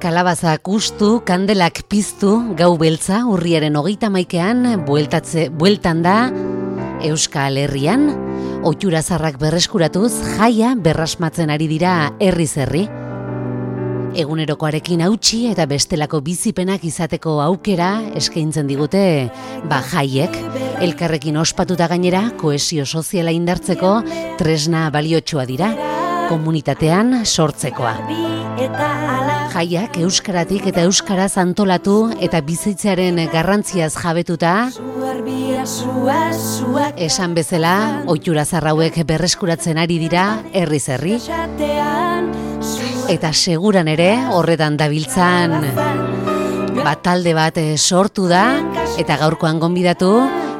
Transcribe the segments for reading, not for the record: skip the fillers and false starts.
Kalabazak ustu, kandelak piztu, gau beltza, urriaren 31ean bueltan da Euskal Herrian, ohitura zarrak berreskuratuz, jaia berrasmatzen ari dira herriz herri. Egunerokoarekin hautsi eta bestelako bizipenak izateko aukera eskaintzen digute jaiek. Elkarrekin ospatuta gainera, kohesio soziala indartzeko tresna baliotsua dira, komunitatean sortzekoa. Jaiak euskaratik eta euskaraz antolatu eta bizitzearen garrantziaz jabetuta, esan bezala, ohitura zarrauek berreskuratzen ari dira herriz herri. Eta seguran ere, horretan dabiltzan talde bat sortu da, eta gaurkoan gonbidatu,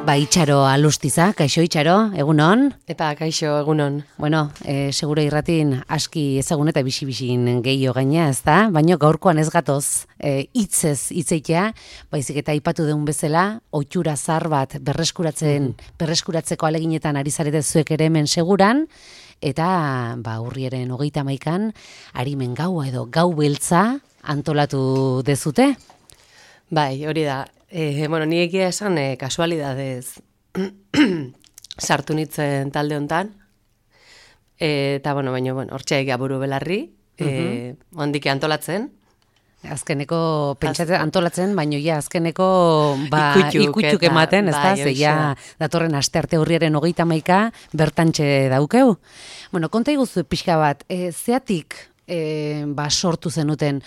Itxaro Alustiza. Kaixo Itxaro, egunon? Eta kaixo, egunon. Bueno, seguro irratin aski ezagun eta bisi-bisin gehiago gaina, ezta? Baina gaurkoan ez gatoz hitzez hitzeitea, baizik eta aipatu deun bezala, ohitura zar bat berreskuratzeko aleginetan ari zarete zuek ere hemen seguran, eta urriaren 31an arimen gaua edo gau beltza antolatu dezute? Bai, hori da. Ni egia esan kasualidadez sartu nitzen talde hontan. Eta, baina, hortxe egia buru belarri, ondik antolatzen. Azkeneko, pentsatzen antolatzen, baina azkeneko ikutuk ematen, ez da? Zeia datorren astearte urriaren 31 bertantxe daukeu. Konta iguzu pixka bat, zeatik sortu zenuten,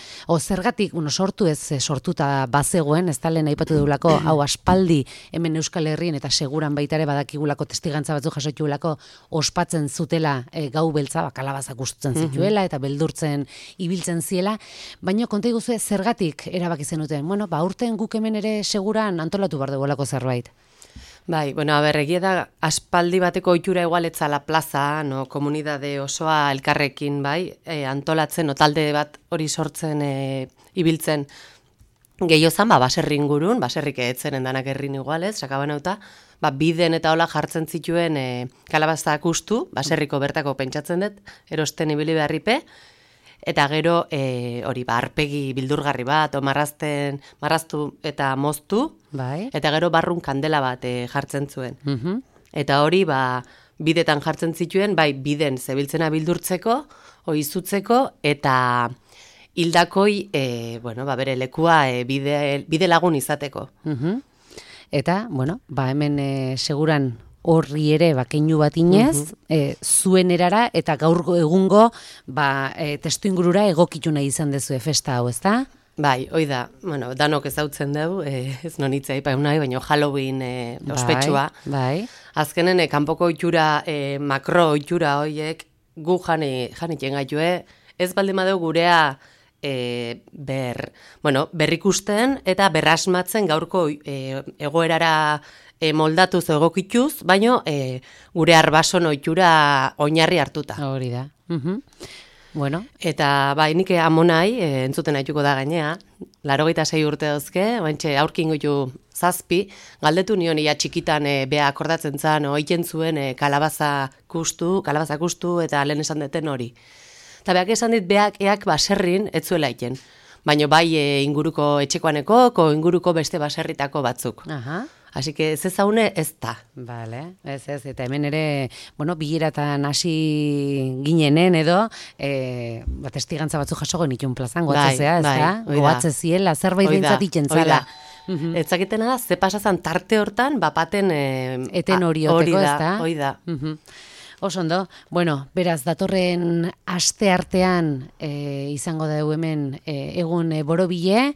zergatik, sortu ez sortuta bazegoen, ez da lehen aipatu deulako, hau aspaldi hemen Euskal Herrien eta seguran baitare badakigulako testigantza batzu jasotxulako ospatzen zutela gau beltza, kalabazak ustutzen zituela eta beldurtzen ibiltzen ziela, baina konta iguzu zergatik erabaki zenuten, urten guk hemen ere seguran antolatu bar dugulako zerbait. Bai, egia da, aspaldi bateko ohitura igualetzala plaza, komunidade osoa elkarrekin, antolatzen, talde bat hori sortzen, ibiltzen, gehiozan, baserri ingurun, baserrik etzen endanak herrin igualez, sakabanauta, biden eta hola jartzen zituen kalabazak ustu, baserriko bertako pentsatzen dut, erosten ibili beharripe, eta gero hori arpegi bildurgarri bat, marraztu eta moztu, eta gero barrun kandela bat jartzen zuen. Eta hori bidetan jartzen zituen, biden zebiltzena bildurtzeko, oizutzeko, eta hildakoi bere lekua bide lagun izateko. Eta, hemen seguran horri ere keinu bat inez, zuen erara eta gaur egungo testu ingurura egokitu nahi izan dezue festa hau, ezta? Bai, hoi da, danok ezautzen dugu, ez nonitza ipaun nahi, baina Halloween ospetsua. Azkenen, kanpoko ohitura, makro ohitura horiek gu janitien gaitue, ez baldin badeu gurea berrikusten eta berrasmatzen gaurko egoerara moldatuz egokituz, baino gure arbason ohitura oinarri hartuta. Hori da. Eta nik amonai, entzuten haituko da gainea, 86 urte dauzke, baintxe aurkin goitu 7, galdetu nion ia txikitan bea akordatzen zan, oiten zuen kalabazak ustu eta lehen esan deten hori. Eta beak esan dit beak eak baserrin ez zuela iten, baina inguruko etxekoaneko, inguruko beste baserritako batzuk. Así que ez ezaune ez da. Bale, ez, eta hemen ere, bileratan hasi ginenen edo, testigantza batzu jaso genitun plazan, goatzezea, ez da? Goatze ziela, zerbait dintzat ikentzala. Ez zakitena da, ze pasazan tarte hortan, bapaten eten hori oteko, ez da? Hori da. Osondo, beraz, datorren aste artean izango da hemen egun borobile,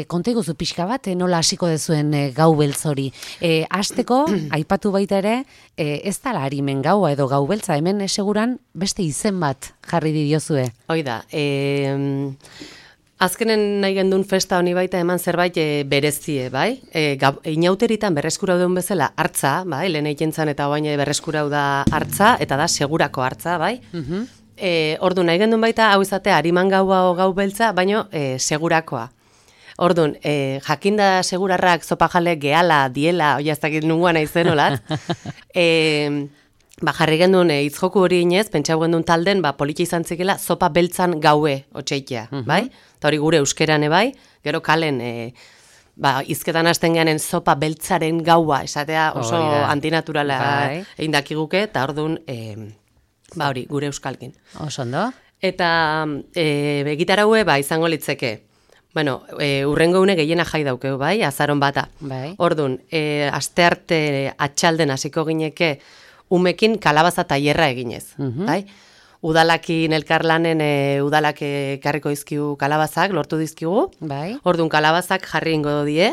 konta iguzu pixka bat, nola hasiko dezuen gau beltz hori. Hasteko, aipatu baita ere, ez da harimen gaua edo gau beltza, hemen seguran beste izen bat jarri didiozue. Hoi da, azkenen nahi gendun festa honi baita eman zerbait berezie, bai? Inauteritan berreskurau duen bezala hartza, bai? Lehen eikentzan eta oain berreskurau da hartza, eta da segurako hartza, bai? Ordu nahi gendun baita hau izate hariman gaua o gau beltza, baino segurakoa. Orduan, jakinda segurarrak zopajale gehala, diela, oiaztakit nunguan aizen, olat? jarri gendun hitzjoku hori inez, pentsau gendun talden, politia izan zikela, zopa beltzan gaue otxeitea, bai? Eta hori gure euskerane bai, gero kalen, izketan hasten geanen zopa beltzaren gaua, esatea oso antinaturala egin dakiguke, eta orduan, hori, gure euskalkin. Osondo. Eta egitaraue, izango litzeke, bueno, urrengo une gehiena jai daukeu, bai, azaron bata. Bai. Orduan, astearte atxalden hasiko gineke, umekin kalabaza tailerra eginez, bai? Udalakin elkarlanen udalak ekarriko dizkigu kalabazak, lortu dizkigu. Bai. Orduan kalabazak jarri ingo die.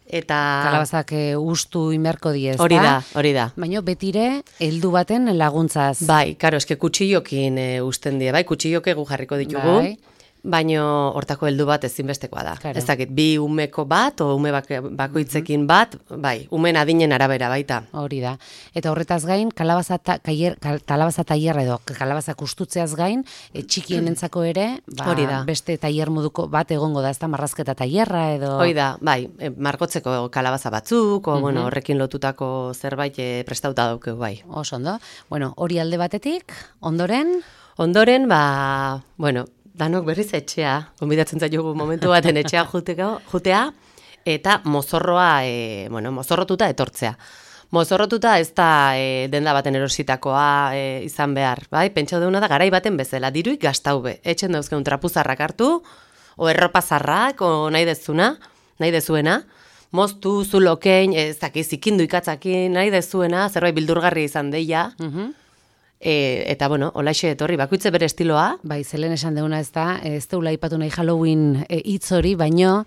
Eta kalabazak ustu inberko die, ezta? Hori da. Baina betire heldu baten laguntzaz. Bai, karo, eske kutxillokin usten die, bai, kutxilloke gu jarriko ditugu. Bai. Baino hortako heldu bat ezinbestekoa da. Claro. Ez dakit, bi umeko bat, o ume bakoitzekin bat, bai, umen adinen arabera baita. Hori da. Eta horretaz gain, kalabaza tailerra edo, kalabazak ustutzeaz gain, txikienentzako ere, hori da. Beste tailer moduko bat egongo da, ez da, marrazketa tailerra edo... Hori da, bai, margotzeko kalabaza batzuk, o, bueno, horrekin lotutako zerbait prestauta daukeu, bai. Oso ondo. Bueno, hori alde batetik, ondoren... Ondoren, bueno, danok berriz etxea, gonbidatzen zaitugu momentu baten etxea jutea, eta mozorroa, mozorrotuta etortzea. Mozorrotuta ez da denda baten erositakoa izan behar, bai? Pentsau deuna da garai baten bezala, diruik gaztaube. Etxen dauzkeun trapuzarrak hartu, o erropazarrak, o nahi dezuena, moztu, zulokein, ez dakiz ikindu ikatzakin, nahi dezuena, zerbait bildurgarri izan deia, eta, bueno, olaxe etorri, bakoitze bere estiloa. Bai, zelen esan deuna ez da, ez deula aipatu nahi Halloween hitz hori, baino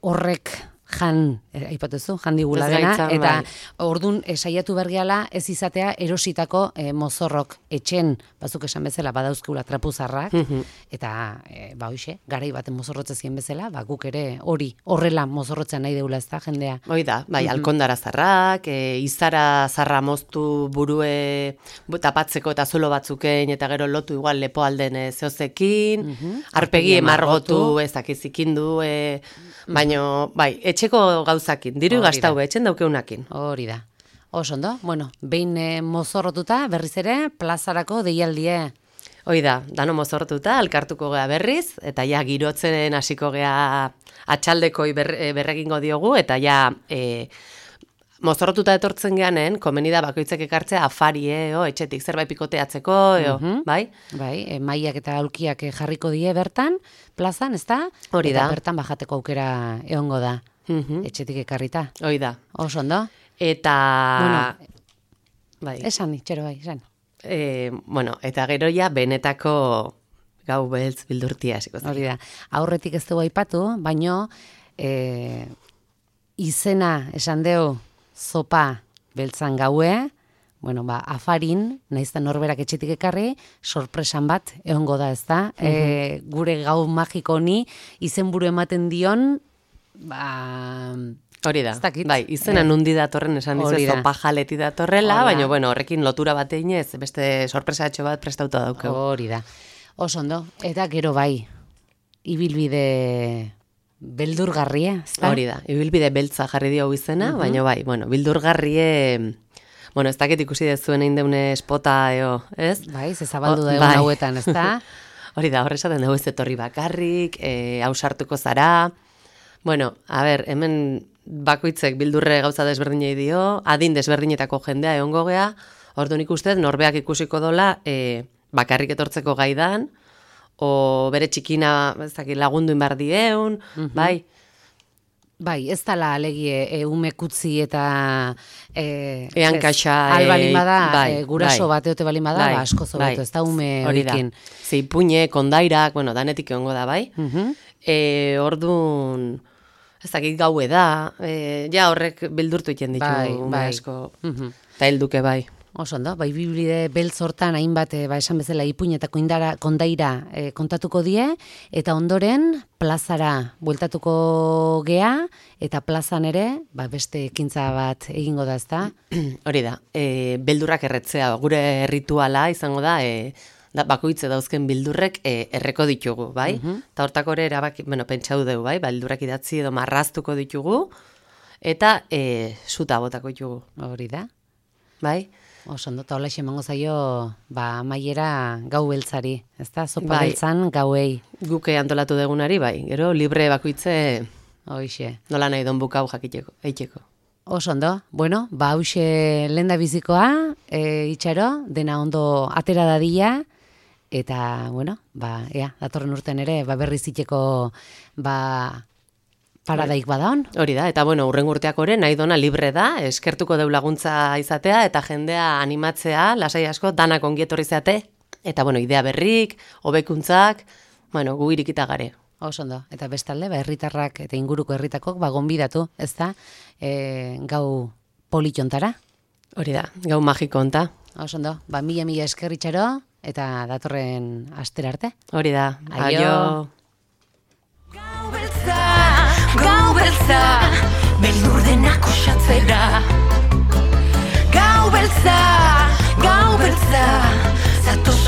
horrek aipatuzu, jandigula dena, eta ordun saiatu bergeala ez izatea erositako mozorrok etxen, bazuk esan bezala badauzkula trapuzarrak, eta hoxe, garai baten mozorrotzezien bezala, guk ere hori horrela mozorrotzen nahi deula ez da, jendea. Hoi da, bai, alkondara zarrak, izara zarra moztu burue tapatzeko eta zulo batzuken, eta gero lotu igual lepo alden zehozekin, arpegi emargotu, ez dakizikindu, baino, bai, etxeko gauzakin, diru gaztau, etxen daukeunakin. Hori da. Oso ondo, bueno, behin mozorrotuta, berriz ere, plazarako deialdie. Hoi da, dano mozorrotuta, alkartuko gea berriz, eta ja girotzen hasiko gea atxaldekoi berregingo diogu, eta ja mozorrotuta etortzen geanen, komeni da bakoitzek ekartzea afari, etxetik zerbait pikoteatzeko, bai? Bai, maiak eta aulkiak jarriko die bertan, plazan, ez da? Hori da. Eta bertan bajateko aukera egongo da, etxetik ekarrita. Hoi da. Oso ondo. Eta... Bueno, bai. Esan, itxero bai, esan. Bueno, eta gero ja benetako gau beltz bildurtia hasiko zen. Hori da. Aurretik ez dugu aipatu, baino izena esan deu zopa beltzan gaue, bueno, afarin, naizta norberak etxetik ekarri, sorpresan bat egongo da, ez da? Gure gau magiko honi izenburu ematen dion, hori da, bai, izena nundi datorren esan dizu zopa jaleti datorrela, baina, bueno, horrekin lotura bat eginez, beste sorpresatxo bat prestauta daukeu. Hori da. Oso ondo, eta gero bai, ibilbide beldurgarria, ez da? Hori da, ibilbide beltza jarri dio izena, baina bai, bueno, beldurgarrie, bueno, ez dakit ikusi dezuen egin deune espota, ez? Bai, zezabaldu da egun hauetan, ez da? Hori da, horrezaten dugu ez etorri bakarrik, hausartuko zara, bueno, a ber, hemen bakoitzek bildurre gauza desberdinei dio, adin desberdinetako jendea egongo gea, orduan ikustez, norbeak ikusiko dola, bakarrik etortzeko gaidan, o bere txikina lagundu inbar dieun, bai? Bai, ez dala alegie umekutzi eta ean kaxa albalin bada, guraso bat eote balin bada, asko zobeto, ez da ume horikin. Zeipuñe, kondairak, bueno, danetik egongo da, bai? Orduan, ez dakit gaue da, ja horrek bildurtu iten ditu ume asko, eta helduke bai. Oso ondo, bai biblide beltz hortan hainbat, esan bezala ipuin eta kondaira kontatuko die, eta ondoren plazara bueltatuko gea, eta plazan ere, beste ekintza bat egingo da, ezta? Hori da, beldurrak erretzea, gure rituala izango da, bakoitze dauzken bildurrek erreko ditugu, bai? Eta hortako ere erabaki, pentsau dugu, bai? Beldurrak idatzi edo marraztuko ditugu, eta suta botako ditugu. Hori da. Bai? Oso ondo, eta hola emango zaio, maiera gau beltzari, ezta? Zopa beltzan gauei. Guke antolatu degunari, bai, gero libre bakoitze Hoixe. Nola nahi don bukau jakiteko, eiteko. Oso ondo, bueno, hause lenda bizikoa, itxaro, dena ondo atera dadila, eta, bueno, datorren urten ere, berriz iteko, paradaik badaon. Hori da, eta bueno, urren urteak ore, nahi dona libre da, eskertuko deu laguntza izatea, eta jendea animatzea, lasai asko, danak ongietorri zeate, eta bueno, idea berrik, hobekuntzak, bueno, gu irikita gare. Oso ondo, eta bestalde, herritarrak eta inguruko herritakok gonbidatu, ez da, gau politontara. Hori da, gau magiko onta. Oso ondo, mila eskerritxaro, eta datorren astera arte. Hori da, aio. Gau beltza, beldur denak osatzera. Gau beltza, zatoz